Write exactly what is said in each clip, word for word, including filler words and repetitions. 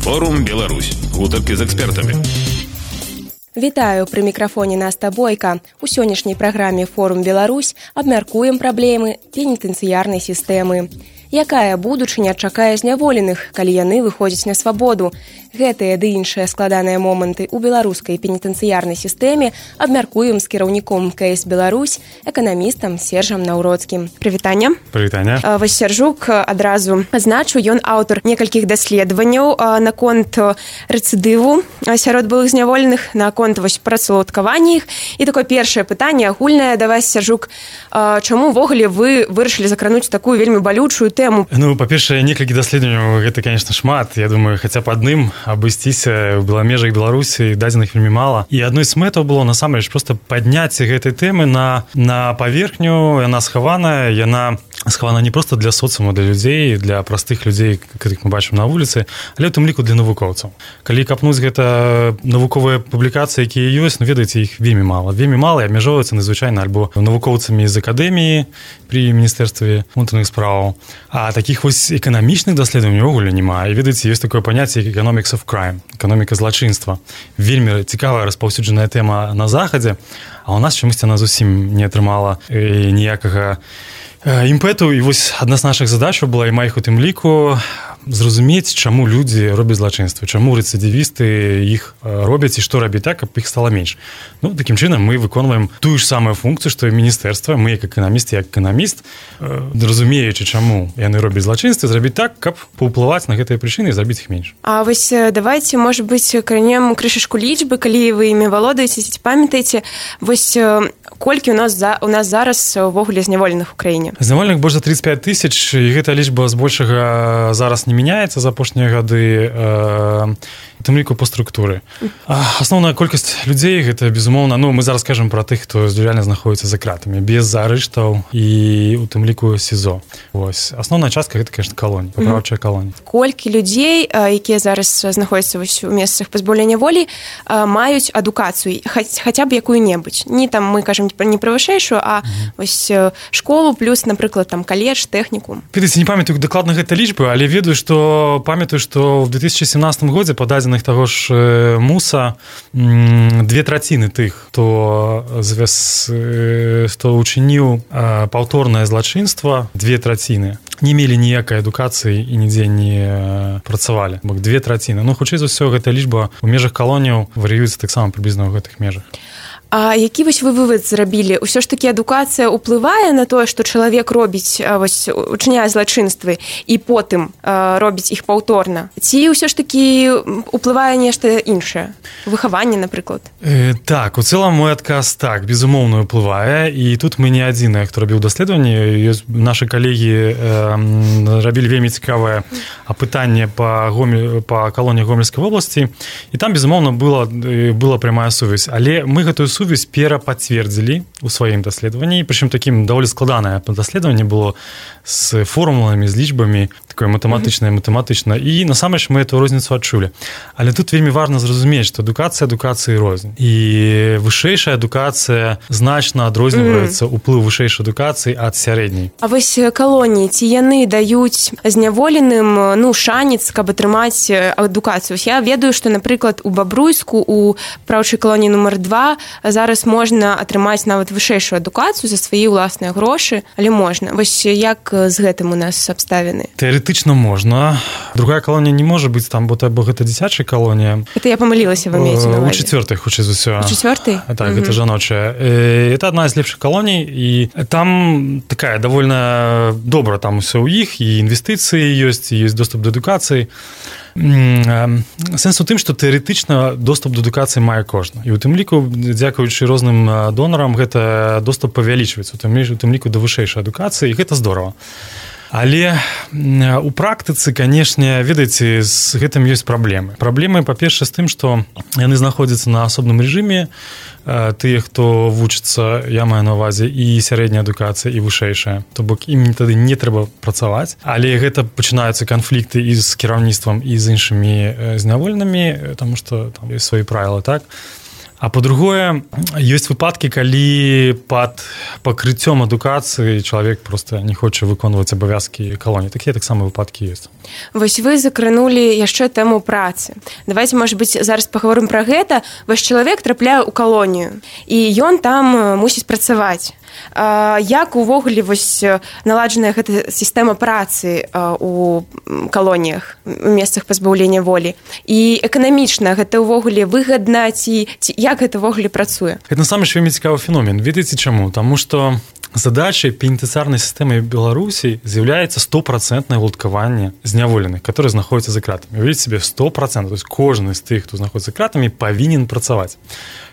Форум Беларусь. Гутаркі з экспертамі. Вітаю, пры мікрафоне Наста Бойка. У сённяшняй праграме «Форум Беларусь» абмяркуем праблемы пенітэнцыярнай сістэмы. Якая будучыня чакае зняволеных, калі яны выходзяць на свабоду? Гэтыя ды іншыя складаныя моманты ў беларускай пенітэнцыярнай сістэме абмяркуем з кіраўніком КС Беларусь, эканамістам Сержам Наўроцкім. Прывітанне. Прывітанне. Вось Сержук адразу азначу, ён аўтар некалькіх даследаванняў наконт рэцыдыву сярод былых зняволеных, наконт вось працаўладкавання іх. І такое першае пытанне агульнае да вас, Сержук. Чаму ўвогуле вы вырашылі закрануць такую вельмі балючую тэму? Ну, па-першае, некалькі даследаванняў, гэта, конечно, шмат. Я думаю, хаця б адным абысціся ў межах Беларусі дадзеных вельмі мала. І адной з мэтаў было, насамрэч, проста падняць гэтай тэмы на, на паверхню. Яна схаваная, яна схавана не проста для соцыума, для людзей, для простых людзей, якіх мы бачым на вуліцы, але ў тым ліку для навукоўцаў. Калі капнуць гэта навуковыя публікацыі, якія ёсць, ну, ведаеце, іх вельмі мала. Вельмі мала і абмяжоўваюцца надзвычайна альбо навукоўцамі з акадэміі пры міністэрстве унутраных спраў. А такіх вось эканамічных даследаванняў ўвогуле няма. І ведаеце, ёсць такое паняцце як economics of crime, эканоміка злачынства. Вельмі цікавая распаўсюджаная тэма на захадзе, а ў нас чамусьці она зусім не атрымала ніякага імпэту. І вось адна з нашых задачаў была, і маіх у тым ліку, зразумець, чаму людзі робяць злачынствы, чаму рэцыдывісты іх робяць і што рабіць так, каб іх стала менш. Ну, такім чынам мы выконваем тую ж самую функцыю, што і міністэрства, мы як эканаміст, як эканаміст, разумеючы, чаму яны робяць злачынствы, зрабіць так, каб паўплываць на гэтыя прычыны і зрабіць іх менш. А вось давайце, можа быць, кранем крышачку лічбы, калі вы імі валодаеце, ці памятаеце, вось колькі у нас за у нас зараз увогуле зняволеных у краіне? Зняволеных больш за тридцать пять тысяч, і гэта лічба збольшага зараз не мяняецца за апошнія гады, э, у тым ліку па структуры. Асноўная колькасць людзей гэта, безумоўна, ну, мы зараз кажам пра тых, хто реально знаходіцца за кратамі, без арыштаў і у тым ліку СІЗО. Вось. Асноўная частка гэта, конечно, калоні, папраўчая калоні. Колькі людзей, якія зараз знаходзяцца вось у месцах пазбаўлення волі, маюць адукацыю, хаця б якую-небудзь. Не там мы кажам не пра вышэйшую, а вось школу плюс, напрыклад, там каледж, тэхнікум. Ведаеце, не памятаю дакладна гэта лічбы, але ведаю, што памятаю, што ў две тысячи семнадцатым годзе па дадзеных таго ж МУСа две траціны тых, хто звяз, хто учыніў паўторнае злачынства, две траціны не мелі ніякай адукацыі і нідзе не працавалі. Бок две траціны. Ну, хутчэй за ўсё, гэта лічба ў межах калоніяў варыюецца таксама прыблізна ў гэтых межах. А які вось вы вывад зрабілі? Усё ж такі адукацыя ўплывае на тое, што чалавек робіць, вось, учыняе злачынствы і потым а, робіць іх паўторна? Ці ўсё ж такі ўплывае нешта іншае? Выхаванне, напрыклад? Э, так, у цэлым мой адказ так, безумоўна, ўплывае. І тут мы не адзіныя, хто рабіў даследаванні. Нашы калегі э, рабілі вельмі цікавае апытанне па, Гомель, па калоніі Гомельскай вобласці. І там, безумоўна, была, была прямая сувязь. Але мы гэтую сувязь перапацвердзілі ў сваім даследаванні, прычым такім даволі складанае даследаванне было з формуламі, з лічбамі, такое матэматычнае, матэматычна, і насамрэч мы эту розніцу адчулі. Але тут вельмі важна зразумець, што адукацыя адукацыі рознь. І вышэйшая адукацыя значна адрозніваецца ўплыў вышэйшай адукацыі ад сярэдняй. А вось калоніі, ці яны даюць зняволеным, ну, шанец, каб атрымаць адукацыю? Я ведаю, што, напрыклад, у Бабруйску, у праўчай калоніі нумар два зараз можна атрымаць нават вышэйшую адукацыю за свае ўласныя грошы, але можна. Вось як з гэтым у нас абставіны? Тэарэтычна можна. Другая калонія не можа быць там, бо гэта дзіцячая калонія. Это я памылілася, вы маеце на У ўвазе? чацвёртай, хутчэй за ўсё. У чацвёртай? Так, гэта жаночая. Это адна з лепшых калоній, і там такая давольна добра там усё ў іх, і інвестыцыі ёсць, і ёсць доступ да адукацыі. Сэнс у тым, што тэарэтычна доступ да адукацыі мае кожны. І ў тым ліку, дзякуючы розным донарам, гэта доступ павялічваецца, у тым ліку да вышэйшай адукацыі, і гэта здорава. Але у практыцы, канешне, ведаеце, з гэтым ёсць праблемы. Праблемы, па-першае, з тым, што яны знаходзяцца на асобным рэжыме, тыя, хто вучыцца, я маю на ўвазе, і сярэдняя адукацыя, і вышэйшая. То бок ім тады не трэба працаваць, але гэта пачынаюцца канфлікты і з кіраўніцтвам, і з іншымі зняволенымі, таму што там ёсць свае правілы, так? А по-другое, ёсць выпадкі, калі пад пакрыццём адукацыі чалавек просто не хоча выконваць абавязкі калоніі. Такія таксама выпадкі ёсць. Вось вы закранулі яшчэ тэму працы. Давайте, может быть, зараз паговорым пра гэта. Ваш чалавек трапляе ў калонію, і ён там мусіць працаваць. Як увогуле вось наладжаная гэта сістэма працы у калоніях, у месцах пазбаўлення волі? І эканамічна гэта ўвогуле выгадна, ці, ці як гэта ўвогуле працуе? Гэта насамрэч вельмі цікавы феномен. Ведаеце чаму? Таму што задачай пенітэнцыярнай сістэмы Беларусі з'яўляецца стопроцентнае ўладкаванне зняволеных, которые знаходзяцца за кратамі. Уявіце себе, сто процентов, то есть кожны з тых, хто знаходзіцца за кратамі, павінен працаваць.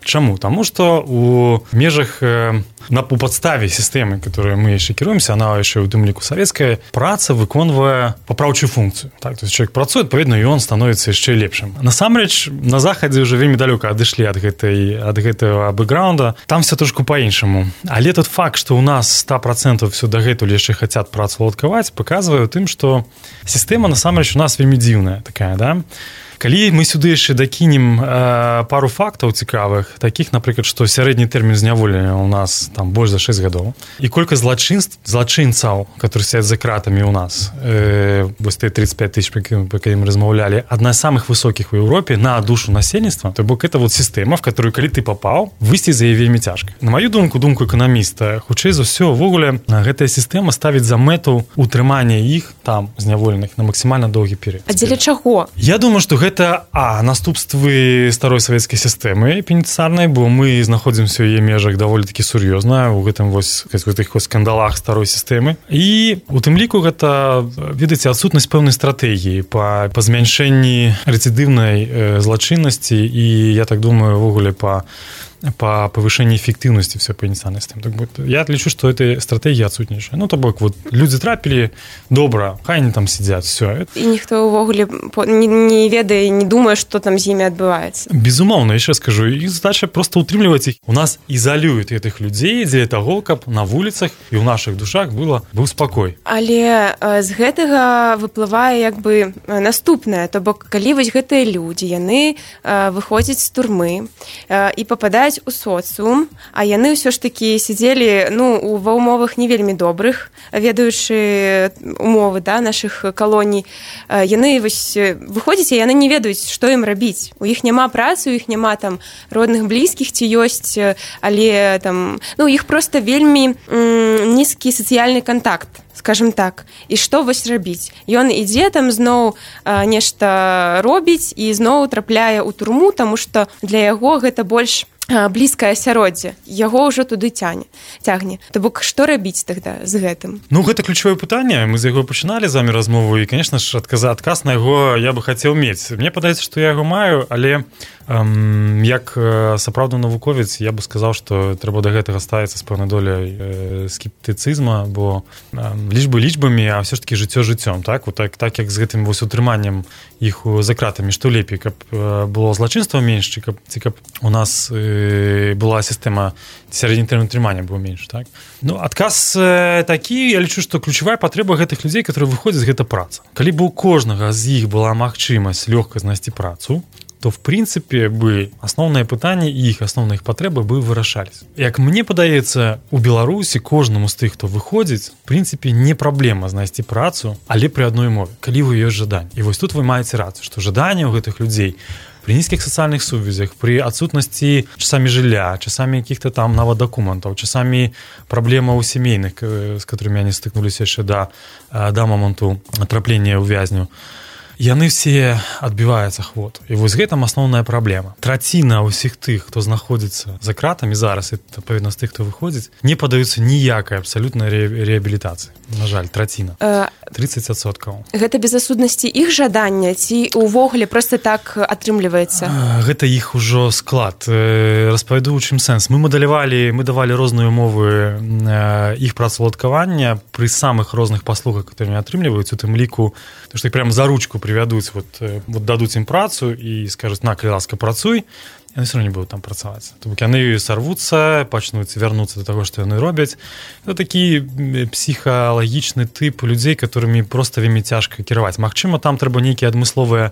Чаму? Таму што у межах на у падставе сістэмы, которой мы яшчэ кіруемся, она яшчэ ў тым ліку савецкая, праца выконвае папраўчую функцыю. Так, то есть человек працуе, адпаведна, і ён становіцца яшчэ лепшым. Насамрэч, на захадзе ўжо вельмі далёка адышлі ад гэтай ад гэтага бэкграунда. Там все трошку па-іншаму. Але тот факт, што ў нас сто процентов все дагэтуль яшчэ хацяць працу уладкаваць, паказвае тым, што сістэма насамрэч у нас вельмі дзіўная такая, да? Калі мы сюды яшчэ дакінем э, пару фактаў цікавых, такіх, напрыклад, што сярэдні тэрмін зняволення ў нас там больш за шэсць гадоў, і колькасць злачынств, злачынцаў, которые сядзяць за кратамі ў нас, э, вось тыя тридцать пять тысяч, па якім мы размаўлялі, адна з самых высокіх у Еўропе на душу насельніцтва, то бок это вот сістэма, в которую, калі ты папаў, выйсці за яе вельмі цяжка. На маю думку, думку эканаміста, хутчэй за ўсё, увогуле, гэтая сістэма ставіць за мэту утрымання іх там зняволеных на максімальна доўгі перыяд. А дзеля чаго? Я думаю, што гэта Гэта а наступствы старой савецкай сістэмы пенітэнцыярнай, бо мы знаходзімся ў яе межах даволі такі сур'ёзна у гэтым вось гэтых скандалах старой сістэмы. І у тым ліку гэта, ведаеце, адсутнасць пэўнай стратэгіі па, па змяншэнні рэцыдыўнай э, злачыннасці і, я так думаю, увогуле па по повышению эффективности всей пенитенциарной системы. Так вот, я лічу, что эта стратегия отсутнейшая. Ну, то бок, вот, люди трапили, добро, хай они там сидят, все. И никто увогуле не, не ведае, не думае, что там з ими отбывается. Безумоўно, еще скажу, их задача просто утримливать их. У нас изолюют этих людей для того, каб на улицах и в наших душах было, был спокой. Але з гэтага выплывае як бы наступнае, то бок, калі вось гэтыя людзі, яны выходзяць з турмы і пападаюць у соцыум, а яны ўсё ж такі сидзелі, ну, ва умовах не вельмі добрых, ведаючы умовы, да, нашых калоній. Яны вось выходзяць, і яны не ведаюць, што ім рабіць. У іх няма працы, у іх няма там родных блізкіх ці ёсць, але там, ну, у іх проста вельмі м, нізкі сацыяльны кантакт, скажем так. І што вось рабіць? Ён ідзе там зноў а, нешта робіць і зноў трапляе ў турму, таму што для яго гэта больш блізкае асяроддзе, яго ўжо туды цягне. цягне. То бок, што рабіць тогда з гэтым? Ну, гэта ключавое пытанне. Мы з яго пачыналі з вами размову, і, конечно ж, адказа, адказ на яго я бы хацеў мець. Мне падаецца, што я яго маю, але эм, як сапраўдны навуковец я бы сказаў, што трэба да гэтага ставіцца з пэўнай доляй э, скептыцызма, бо э, лічбы лічбамі, а ўсё ж такі жыццё жыццём. Так? Вот так, так як з гэтым вось утрыманнем іх за кратамі, што лепей, каб э, было злачынства менш, ці каб, ці каб у нас э, была сістэма сярэдні тэрмін трымання быў менш, так? Ну, адказ э, такі, я лічу, што ключавая патрэба гэтых людзей, которые выходзяць, гэта праца. Калі бы у кожнага з іх была магчымасць лёгка знайсці працу, то, в прынцыпе, бы асноўныя пытанні і іх асноўныя патрэбы бы вырашались. Як мне падаецца, у Беларусі кожнаму з тых, хто выходзіць, в прынцыпе, не праблема знайсці працу, але пры адной мове, калі вы ёсць жаданне. І вось тут вы маеце рацыю, што жаданне ў гэтых людзей при низких социальных сувязях, при отсутности часами жилья, часами каких-то там нават документов, часами проблема у семейных, с которыми они стыкнулись еще до, до моменту трапления у вязню, яны все адбіваюцца хвот. І вось гэтым асноўная праблема. Траціна ўсіх тых, хто знаходзіцца за кратамі зараз, і адпаведна з тых, хто выходзіць, не падаюцца ніякай абсалютнай ре- рэабілітацыі. На жаль, траціна. тридцать адсоткаў. Гэта без асуднасці іх жадання ці ўвогуле проста так атрымліваецца? Гэта іх ужо склад. Распавяду, у чым сэнс. Мы мадэлявалі, мы давалі розныя умовы іх працаўладкавання пры самых розных паслугах, которые атрымліваюць, у тым ліку, што іх прямо за ручку привядуць, вот, вот дадуць ім працу і скажуць, на, калі ласка, працуй, яны все равно не будут там працаваць. То бок яны сорвуцца, пачнуць вярнуцца до того, што яны робяць. Это такі псіхалагічны тып людзей, которымі проста вельмі цяжка кіраваць. Магчыма, там трэба нейкія адмысловыя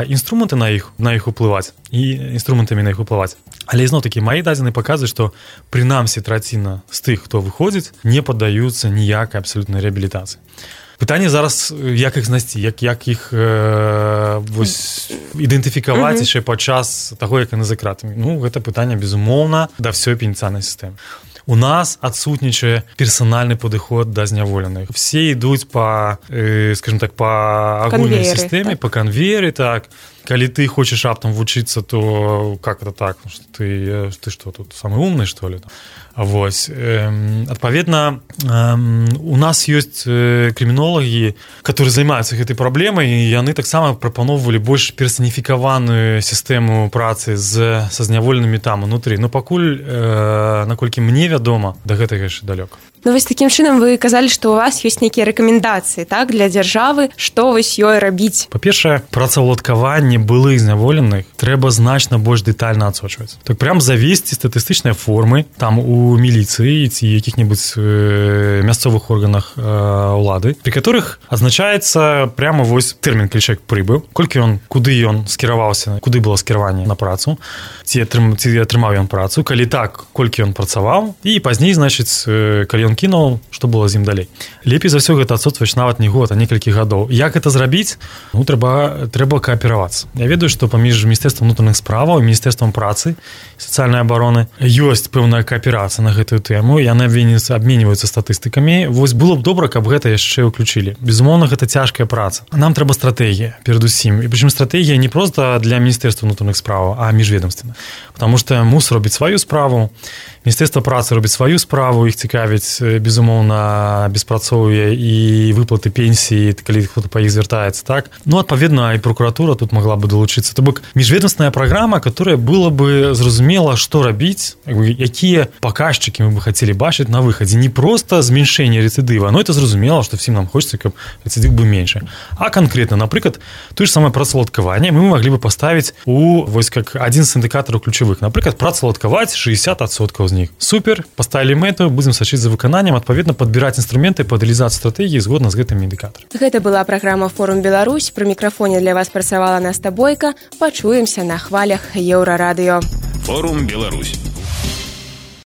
інструменты на іх на іх уплываць і інструментамі на іх уплываць. Але ізноў-такі мае дадзеныя паказваюць, што прынамсі траціна з тых, хто выходзіць, не паддаюцца ніякай абсалютнай рэабілітацыі. Пытанне зараз, як іх знайсці, як, як іх э, вось, ідэнтыфікаваць яшчэ mm-hmm. падчас таго, як яны за кратамі. Ну, гэта пытанне, безумоўна, да ўсёй пенітэнцыйнай сістэмы. У нас адсутнічае персанальны падыход да зняволеных. Все ідуць па, э, скажем так, па агульнай сістэме, так. па канвееры, так. Калі ты хочаш раптам вучыцца, то как это так? Ты, ты что, тут самый умный, что ли? Вось. Адпаведна, у нас ёсць крымінолагі, которые займаюцца гэтай праблемай, і яны таксама прапаноўвалі больш персаніфікаваную сістэму працы з, са зняволенымі там унутры. Но пакуль, наколькі мне вядома, да гэтага яшчэ далёка. Ну, вось такім чынам вы казалі, што у вас ёсць нейкія рэкамендацыі, так, для дзяржавы, што вось ёй рабіць? Па-першае, працаўладкаванне былых зняволеных трэба значна больш дэтальна адсочваць. Так прям завесці статыстычныя формы там у міліцыі ці якіх-небудзь э, мясцовых органах э, улады, пры которых адзначаецца прямо вось тэрмін, калі чалавек прыбыў, колькі ён, куды ён скіраваўся, куды было скіраванне на працу, ці, атрым, ці атрымаў ён працу, калі так, колькі ён працаваў, і пазней, значыць, э, калі ён кінуў, што было з ім далей. Лепей за ўсё гэта адсутствоваць нават не год, а некалькі гадоў. Як гэта зрабіць? Ну, трэба, трэба кааперавацца. Я ведаю, што паміж Міністэрствам унутраных справаў і Міністэрствам працы і сацыяльнай абароны ёсць пэўная кааперацыя на гэтую тэму, яны абменьваюцца статыстыкамі. Вось было б добра, каб гэта яшчэ ўключылі. Безумоўна, гэта цяжкая праца. Нам трэба стратэгія, перадусім. І прычым стратэгія не проста для Міністэрства унутраных справаў, а міжведамственна. Потому што МУС робіць сваю справу, Міністэрства працы робіць сваю справу, іх цікавіць, безумоўна, беспрацоўе і выплаты пенсіі, калі хто-то па іх звяртаецца, так? Ну, адпаведна, і прокуратура тут могла бы долучыцца. То бок, міжведомственная праграма, которая было бы зразумела, што рабіць, якія паказчыкі мы бы хацелі бачыць на выхадзе. Не проста зменшэнне рэцыдыва, но это зразумела, што всім нам хочется, каб рэцыдыв быў меншы. А конкретно, напрыклад, тое ж самае працаўладкаванне мы маглі бы паставіць у, вось, как адзін з індыкатараў ключавых. Напрыклад, працаўладкаваць шэсцьдзесят адсоткаў з них. Супер, поставілі мэту, будзем сачыць за выкананнем, адпаведна падбіраць інструменты па рэалізацыі стратэгіі згодна з гэтымі індыкатарамі. Гэта была праграма «Форум Беларусь». Пры мікрафоне для вас працавала Наста Бойка. Пачуемся на хвалях Еўрарадыё. Форум Беларусь.